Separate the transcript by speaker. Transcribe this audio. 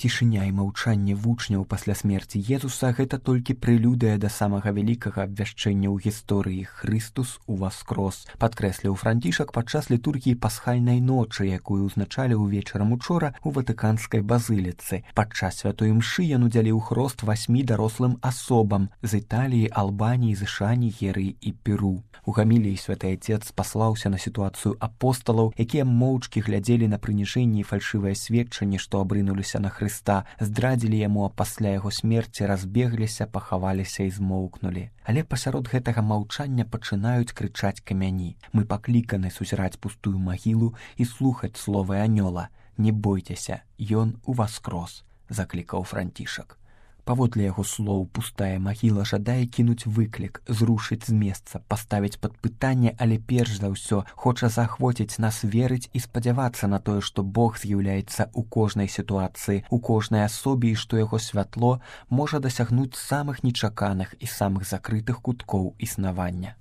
Speaker 1: Цішыня і маўчанне вучняў пасля смерці Езуса – гэта толькі прэлюдыя да самага вялікага абвяшчэння ў гісторыі «Хрыстус уваскрос», падкрэсліў Францішак падчас літургіі пасхальнай ночы, якую ўзначаліў вечарам учора ў Ватыканскай базыліцы. Падчас святой імшы ён удзяліў хрост 8 дарослым асобам з Італіі, Албаніі, ЗША, Нігерыі і Перу. У гаміліі святы Отец паслаўся на сітуацыю апосталаў, якія моўчкі глядзелі на прыніжэнне і фальшывае сведчанне, што абрынуліся на Хрыста, здрадзілі яму, а пасля яго смерці разбегліся, пахаваліся і змоўкнулі. Але пасярод гэтага маўчання пачынаюць крычаць камяні. Мы пакліканы сузіраць пустую магілу і слухаць словы анёла. Не бойцеся, ён уваскрос, заклікаў Францішак. Паводле яго слоў, пустая магіла жадае кінуць выклік, зрушыць з месца, паставіць пад пытанне, але перш за ўсё хоча заахвоціць нас верыць і спадзявацца на тое, што Бог з'яўляецца ў кожнай сітуацыі, у кожнай асобе і што яго святло можа дасягнуць самых нечаканых і самых закрытых куткоў існавання.